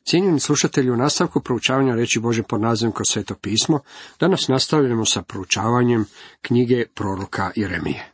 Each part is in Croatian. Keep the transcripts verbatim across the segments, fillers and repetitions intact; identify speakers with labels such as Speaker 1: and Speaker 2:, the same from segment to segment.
Speaker 1: Cijenjeni slušatelji, u nastavku proučavanja riječi Božje pod nazivom Kroz Sveto pismo, danas nastavljamo sa proučavanjem knjige proroka Jeremije.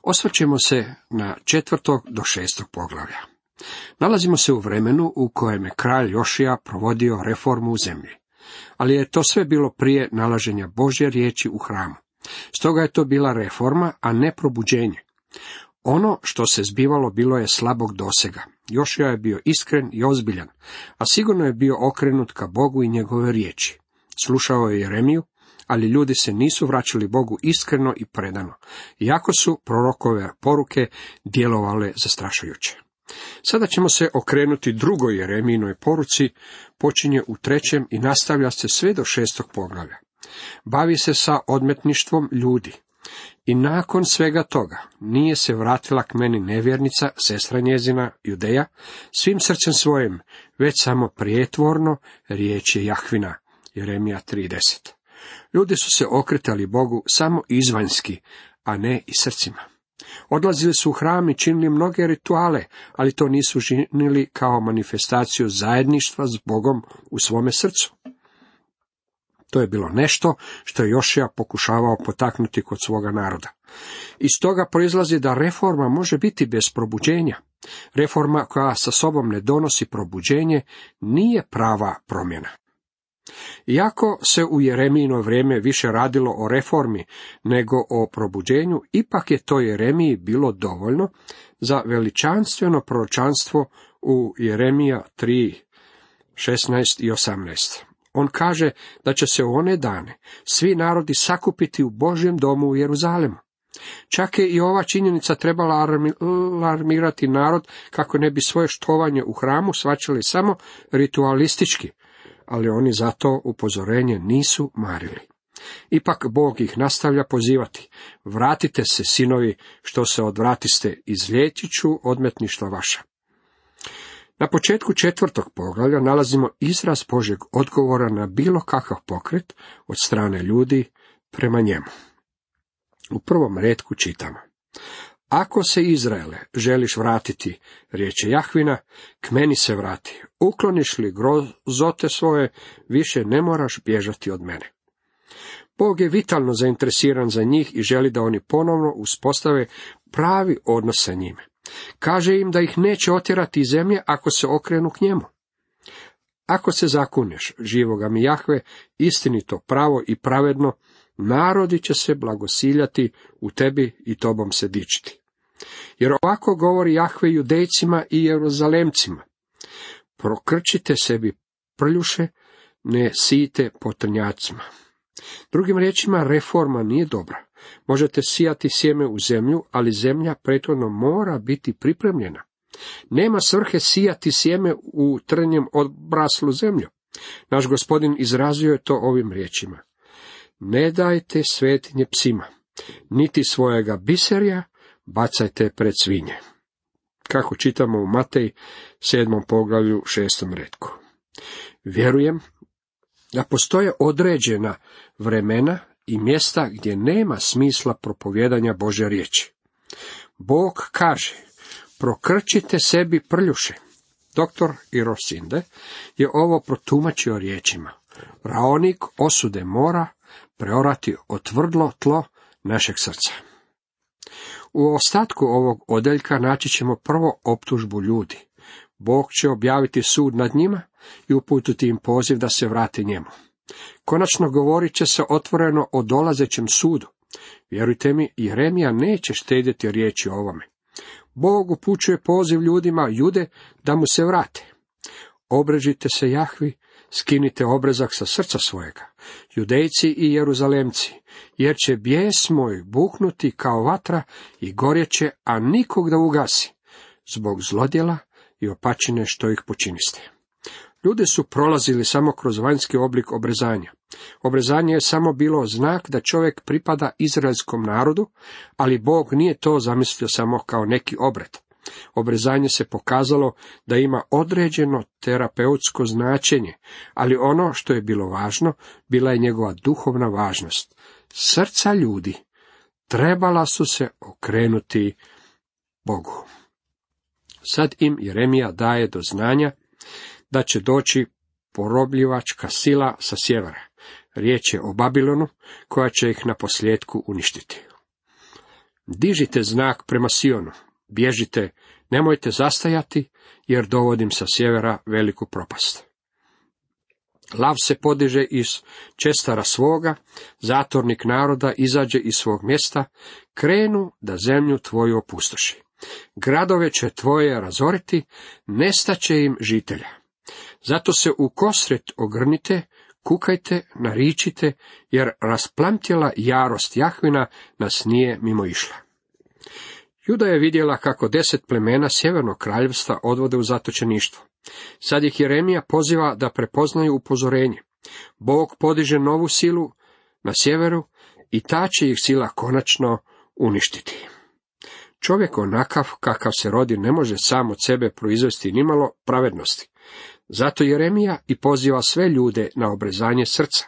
Speaker 1: Osvrćemo se na četvrtog do šestog poglavlja. Nalazimo se u vremenu u kojem je kralj Jošija provodio reformu u zemlji, ali je to sve bilo prije nalaženja Božje riječi u hramu. Stoga je to bila reforma, a ne probuđenje. Ono što se zbivalo bilo je slabog dosega. Jošija je bio iskren i ozbiljan, a sigurno je bio okrenut ka Bogu i njegove riječi. Slušao je Jeremiju, ali ljudi se nisu vraćali Bogu iskreno i predano, iako su prorokove poruke djelovale zastrašujuće. Sada ćemo se okrenuti drugoj Jeremijinoj poruci, počinje u trećem i nastavlja se sve do šestog poglavlja. Bavi se sa odmetništvom ljudi. I nakon svega toga nije se vratila k meni nevjernica, sestra njezina, Judeja, svim srcem svojim, već samo prijetvorno, riječ je Jahvina. Jeremija tri deset. Ljudi su se okretali Bogu samo izvanjski, a ne i srcima. Odlazili su u hram i činili mnoge rituale, ali to nisu činili kao manifestaciju zajedništva s Bogom u svome srcu. To je bilo nešto što je Jošija pokušavao potaknuti kod svoga naroda. Iz toga proizlazi da reforma može biti bez probuđenja. Reforma koja sa sobom ne donosi probuđenje nije prava promjena. Iako se u Jeremijino vrijeme više radilo o reformi nego o probuđenju, ipak je to Jeremiji bilo dovoljno za veličanstveno proročanstvo u Jeremija tri šesnaest i osamnaest. On kaže da će se u one dane svi narodi sakupiti u Božjem domu u Jeruzalemu. Čak je i ova činjenica trebala alarmirati narod kako ne bi svoje štovanje u hramu shvaćali samo ritualistički, ali oni zato upozorenje nisu marili. Ipak Bog ih nastavlja pozivati: vratite se, sinovi, što se odvratiste, izliječit ću odmetništva vaša. Na početku četvrtog poglavlja nalazimo izraz Božjeg odgovora na bilo kakav pokret od strane ljudi prema njemu. U prvom retku čitamo: ako se, Izraele, želiš vratiti, riječ je Jahvina, k meni se vrati. Ukloniš li grozote svoje, više ne moraš bježati od mene. Bog je vitalno zainteresiran za njih i želi da oni ponovno uspostave pravi odnos sa njime. Kaže im da ih neće otjerati iz zemlje ako se okrenu k njemu. Ako se zakuneš, živoga mi Jahve, istinito, pravo i pravedno, narodi će se blagosiljati u tebi i tobom se dičiti. Jer ovako govori Jahve Judejcima i Jeruzalemcima: prokrčite sebi prljuše, ne sijte po trnjacima. Drugim riječima, reforma nije dobra. Možete sijati sjeme u zemlju, ali zemlja prethodno mora biti pripremljena. Nema svrhe sijati sjeme u trnjem obraslu zemlju. Naš Gospodin izrazio je to ovim riječima: ne dajte svetinje psima, niti svojega biserja bacajte pred svinje. Kako čitamo u Matej sedmom poglavlju šestom retku. Vjerujem da postoje određena vremena i mjesta gdje nema smisla propovjedanja Božje riječi. Bog kaže: prokrčite sebi prljuše. Doktor Irosinde je ovo protumačio riječima: raonik osude mora preorati otvrdlo tlo našeg srca. U ostatku ovog odjeljka naći ćemo prvo optužbu ljudi. Bog će objaviti sud nad njima i uputiti im poziv da se vrate njemu. Konačno govorit će se otvoreno o dolazećem sudu. Vjerujte mi, Jeremija neće štedjeti riječi o ovome. Bog upućuje poziv ljudima Jude da mu se vrate. Obrežite se Jahvi, skinite obrezak sa srca svojega, Judejci i Jeruzalemci, jer će bijes moj buknuti kao vatra i gorjeće, a nikog da ugasi, zbog zlodjela i opačine što ih počiniste. Ljudi su prolazili samo kroz vanjski oblik obrezanja. Obrezanje je samo bilo znak da čovjek pripada izraelskom narodu, ali Bog nije to zamislio samo kao neki obred. Obrezanje se pokazalo da ima određeno terapeutsko značenje, ali ono što je bilo važno, bila je njegova duhovna važnost. Srca ljudi trebala su se okrenuti Bogu. Sad im Jeremija daje do znanja da će doći porobljivačka sila sa sjevera. Riječ je o Babilonu, koja će ih na posljedku uništiti. Dižite znak prema Sionu, bježite, nemojte zastajati, jer dovodim sa sjevera veliku propast. Lav se podiže iz čestara svoga, zatornik naroda izađe iz svog mjesta, krenu da zemlju tvoju opustoši. Gradove će tvoje razoriti, nestaće im žitelja. Zato se u kosret ogrnite, kukajte, naričite, jer rasplamtjela jarost Jahvina nas nije mimo išla. Juda je vidjela kako deset plemena sjevernog kraljevstva odvode u zatočeništvo. Sad ih Jeremija poziva da prepoznaju upozorenje. Bog podiže novu silu na sjeveru i ta će ih sila konačno uništiti. Čovjek onakav kakav se rodi ne može sam od sebe proizvesti nimalo pravednosti. Zato Jeremija i poziva sve ljude na obrezanje srca.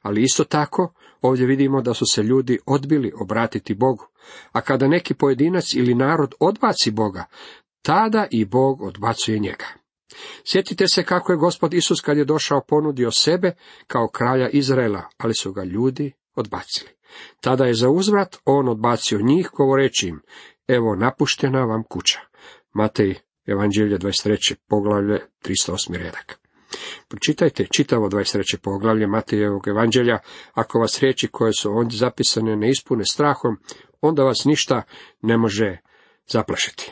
Speaker 1: Ali isto tako ovdje vidimo da su se ljudi odbili obratiti Bogu. A kada neki pojedinac ili narod odbaci Boga, tada i Bog odbacuje njega. Sjetite se kako je Gospod Isus kad je došao ponudio sebe kao kralja Izraela, ali su ga ljudi odbacili. Tada je za uzvrat on odbacio njih govoreći im, evo napuštena vam kuća. Matej, Evanđelje dvadeset treće poglavlje, tristo osmi redak. Pročitajte čitavo dvadeset treće poglavlje Matejevog Evanđelja, ako vas riječi koje su ondje zapisane ne ispune strahom, onda vas ništa ne može zaplašiti.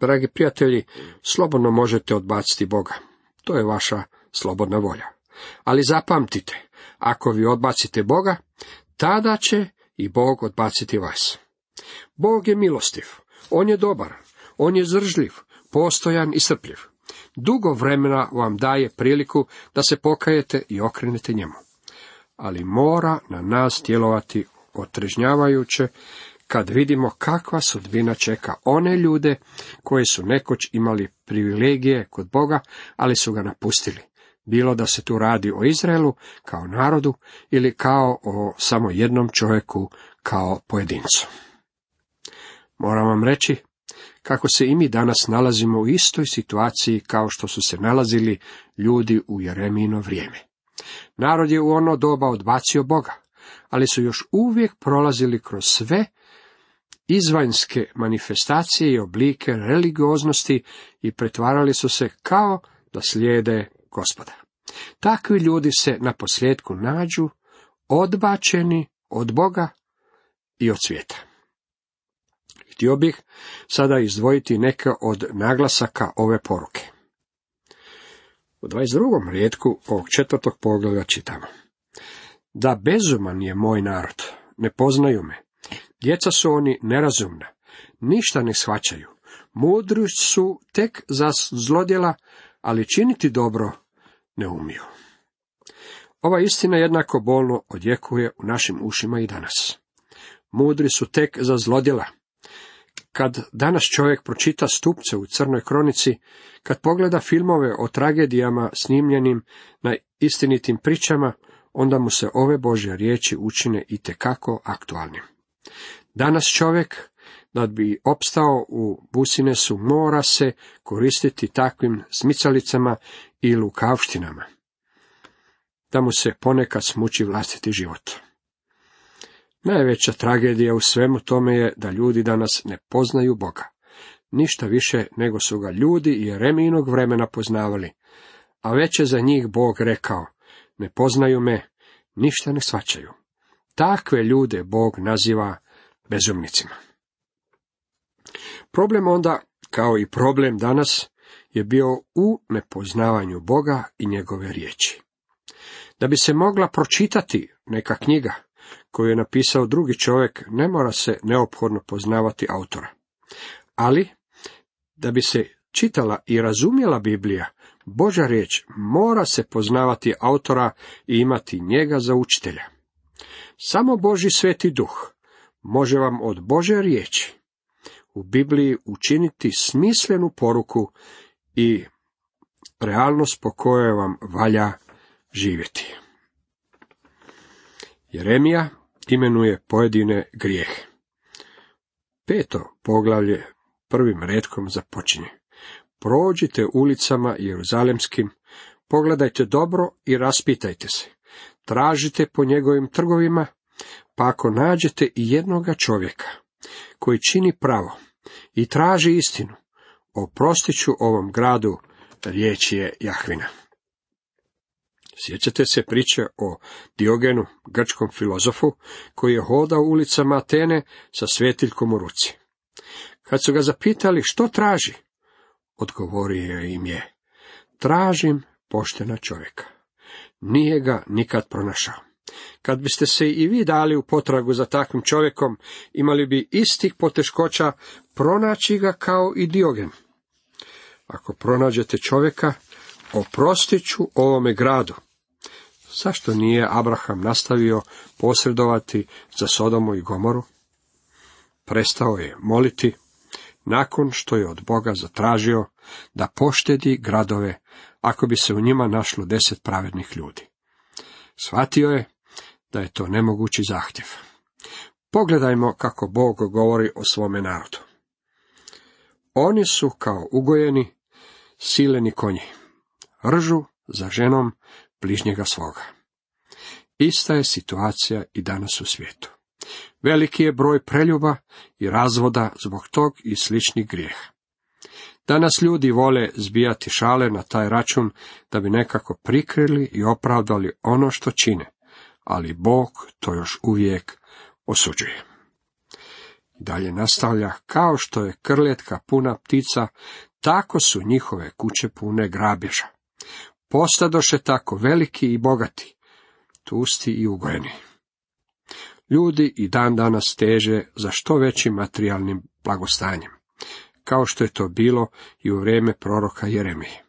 Speaker 1: Dragi prijatelji, slobodno možete odbaciti Boga. To je vaša slobodna volja. Ali zapamtite, ako vi odbacite Boga, tada će i Bog odbaciti vas. Bog je milostiv, on je dobar, on je zdržljiv, postojan i strpljiv. Dugo vremena vam daje priliku da se pokajete i okrenete njemu. Ali mora na nas djelovati otrežnjavajuće kad vidimo kakva sudbina čeka one ljude koji su nekoć imali privilegije kod Boga, ali su ga napustili. Bilo da se tu radi o Izraelu kao narodu ili kao o samo jednom čovjeku kao pojedincu. Moram vam reći kako se i mi danas nalazimo u istoj situaciji kao što su se nalazili ljudi u Jeremijino vrijeme. Narod je u ono doba odbacio Boga, ali su još uvijek prolazili kroz sve izvanjske manifestacije i oblike religioznosti i pretvarali su se kao da slijede Gospoda. Takvi ljudi se na posljedku nađu odbačeni od Boga i od svijeta. Htio bih sada izdvojiti neke od naglasaka ove poruke. U dvadeset drugom rijetku ovog četvrtog poglavlja čitamo: da bezuman je moj narod, ne poznaju me, djeca su oni nerazumna, ništa ne shvaćaju, mudri su tek za zlodjela, ali činiti dobro ne umiju. Ova istina jednako bolno odjekuje u našim ušima i danas. Mudri su tek za zlodjela. Kad danas čovjek pročita stupce u Crnoj kronici, kad pogleda filmove o tragedijama snimljenim na istinitim pričama, onda mu se ove Božje riječi učine itekako aktualnim. Danas čovjek, da bi opstao u Businesu, mora se koristiti takvim smicalicama i lukavštinama, da mu se ponekad smuči vlastiti život. Najveća tragedija u svemu tome je da ljudi danas ne poznaju Boga. Ništa više nego su ga ljudi i Jeremijinog vremena poznavali, a već je za njih Bog rekao, ne poznaju me, ništa ne shvaćaju. Takve ljude Bog naziva bezumnicima. Problem onda, kao i problem danas, je bio u nepoznavanju Boga i njegove riječi. Da bi se mogla pročitati neka knjiga koju je napisao drugi čovjek, ne mora se neophodno poznavati autora. Ali, da bi se čitala i razumjela Biblija, Božja riječ, mora se poznavati autora i imati njega za učitelja. Samo Božji sveti duh može vam od Božje riječi u Bibliji učiniti smislenu poruku i realnost po kojoj vam valja živjeti. Jeremija imenuje pojedine grijehe. Peto poglavlje prvim retkom započinje: prođite ulicama jeruzalemskim, pogledajte dobro i raspitajte se. Tražite po njegovim trgovima, pa ako nađete i jednoga čovjeka koji čini pravo i traži istinu, oprostit ću ovom gradu, riječ je Jahvina. Sjećate se priče o Diogenu, grčkom filozofu, koji je hodao ulicama Atene sa svjetiljkom u ruci. Kad su ga zapitali što traži, odgovorio im je: tražim poštena čovjeka. Nije ga nikad pronašao. Kad biste se i vi dali u potragu za takvim čovjekom, imali bi istih poteškoća pronaći ga kao i Diogen. Ako pronađete čovjeka, oprostit ću ovome gradu. Zašto nije Abraham nastavio posredovati za Sodomu i Gomoru? Prestao je moliti nakon što je od Boga zatražio da poštedi gradove ako bi se u njima našlo deset pravednih ljudi. Shvatio je da je to nemogući zahtjev. Pogledajmo kako Bog govori o svome narodu. Oni su kao ugojeni, sileni konji, ržu za ženom bližnjega svoga. Ista je situacija i danas u svijetu. Veliki je broj preljuba i razvoda zbog tog i sličnih grijeha. Danas ljudi vole zbijati šale na taj račun da bi nekako prikrili i opravdali ono što čine, ali Bog to još uvijek osuđuje. Dalje nastavlja: kao što je krletka puna ptica, tako su njihove kuće pune grabeža. Postadoše tako veliki i bogati, tusti i ugojeni. Ljudi i dan danas teže za što većim materijalnim blagostanjem, kao što je to bilo i u vrijeme proroka Jeremije.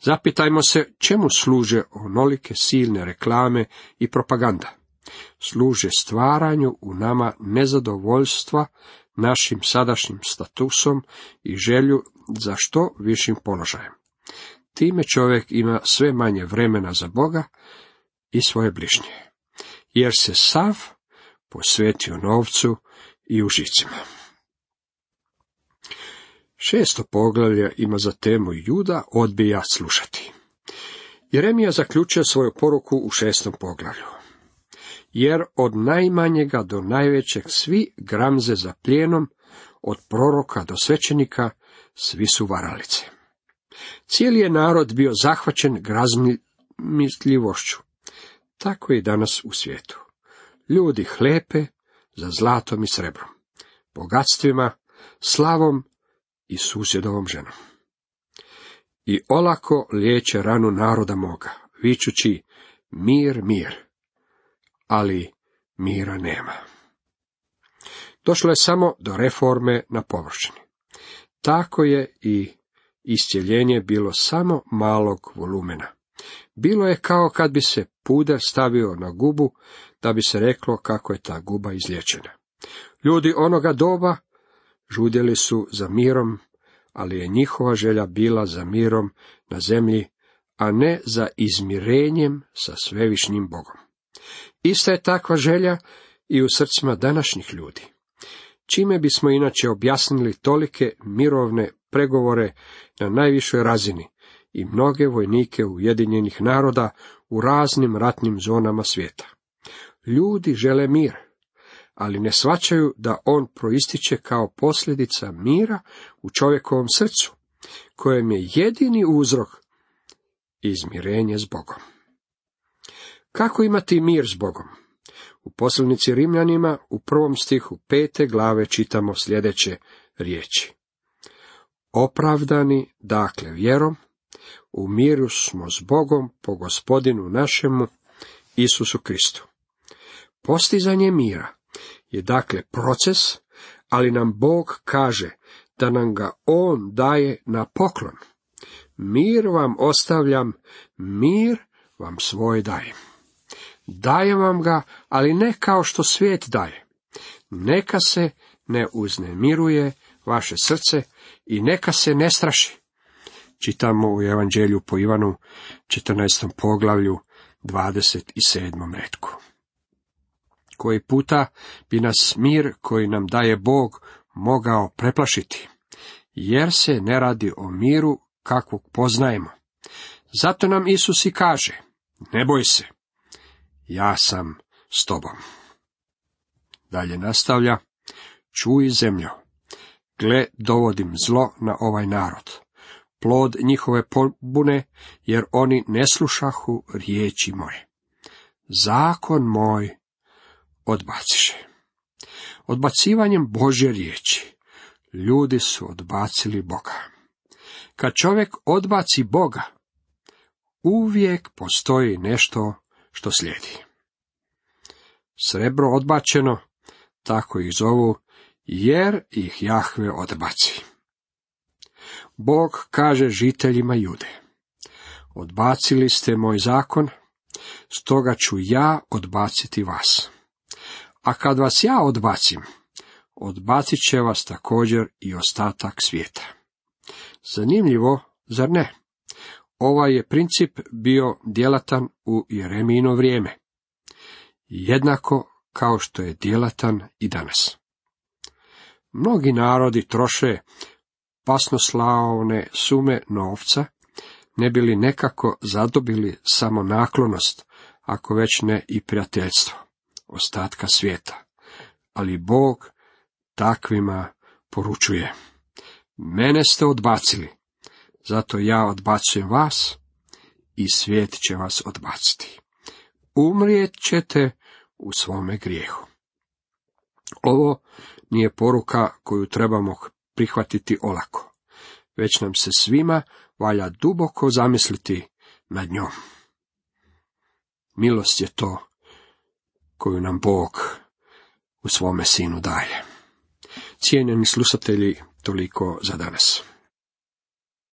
Speaker 1: Zapitajmo se čemu služe onolike silne reklame i propaganda. Služe stvaranju u nama nezadovoljstva našim sadašnjim statusom i želju za što višim položajem. Time čovjek ima sve manje vremena za Boga i svoje bližnje, jer se sav posvetio novcu i užicima. Šesto poglavlje ima za temu Juda odbija slušati. Jeremija zaključuje svoju poruku u šestom poglavlju. Jer od najmanjega do najvećeg svi gramze za plijenom, od proroka do svećenika, svi su varalice. Cijeli je narod bio zahvaćen grazmisljivošću. Tako je i danas u svijetu. Ljudi hlepe za zlatom i srebrom, bogatstvima, slavom i susjedovom ženom. I olako liječe ranu naroda moga, vičući: mir, mir, ali mira nema. Došlo je samo do reforme na površini. Tako je i iscjeljenje bilo samo malog volumena. Bilo je kao kad bi se puder stavio na gubu, da bi se reklo kako je ta guba izliječena. Ljudi onoga doba žudjeli su za mirom, ali je njihova želja bila za mirom na zemlji, a ne za izmirenjem sa svevišnjim Bogom. Ista je takva želja i u srcima današnjih ljudi. Čime bismo inače objasnili tolike mirovne pregovore na najvišoj razini i mnoge vojnike Ujedinjenih naroda u raznim ratnim zonama svijeta? Ljudi žele mir, ali ne shvaćaju da on proističe kao posljedica mira u čovjekovom srcu, kojem je jedini uzrok izmirenje s Bogom. Kako imati mir s Bogom? U poslanici Rimljanima u prvom stihu pete glave čitamo sljedeće riječi. Opravdani, dakle, vjerom, u miru smo s Bogom po Gospodinu našemu, Isusu Kristu. Postizanje mira je dakle proces, ali nam Bog kaže da nam ga On daje na poklon. Mir vam ostavljam, mir vam svoj dajem. Dajem vam ga, ali ne kao što svijet daje. Neka se ne uznemiruje vaše srce i neka se ne straši. Čitamo u Evanđelju po Ivanu, četrnaestom poglavlju, dvadeset sedmom retku. Koji puta bi nas mir koji nam daje Bog mogao preplašiti, jer se ne radi o miru kakvog poznajemo. Zato nam Isus i kaže, ne boj se, ja sam s tobom. Dalje nastavlja, čuj zemljo, gle dovodim zlo na ovaj narod, plod njihove pobune, jer oni ne slušahu riječi moje. Zakon moj odbaciše. Odbacivanjem Božje riječi ljudi su odbacili Boga. Kad čovjek odbaci Boga, uvijek postoji nešto što slijedi. Srebro odbačeno, tako ih zovu, jer ih Jahve odbaci. Bog kaže žiteljima Jude, odbacili ste moj zakon, stoga ću ja odbaciti vas. A kad vas ja odbacim, odbacit će vas također i ostatak svijeta. Zanimljivo, zar ne? Ovaj je princip bio djelatan u Jeremijino vrijeme, jednako kao što je djelatan i danas. Mnogi narodi troše pasnoslavne sume novca, ne bi li nekako zadobili samo naklonost, ako već ne i prijateljstvo ostatka svijeta. Ali Bog takvima poručuje, mene ste odbacili, zato ja odbacujem vas i svijet će vas odbaciti. Umrijet ćete u svome grijehu. Ovo nije poruka koju trebamo prihvatiti olako, već nam se svima valja duboko zamisliti nad njom. Milost je to koju nam Bog u svome Sinu daje. Cijenjeni slušatelji, toliko za danas.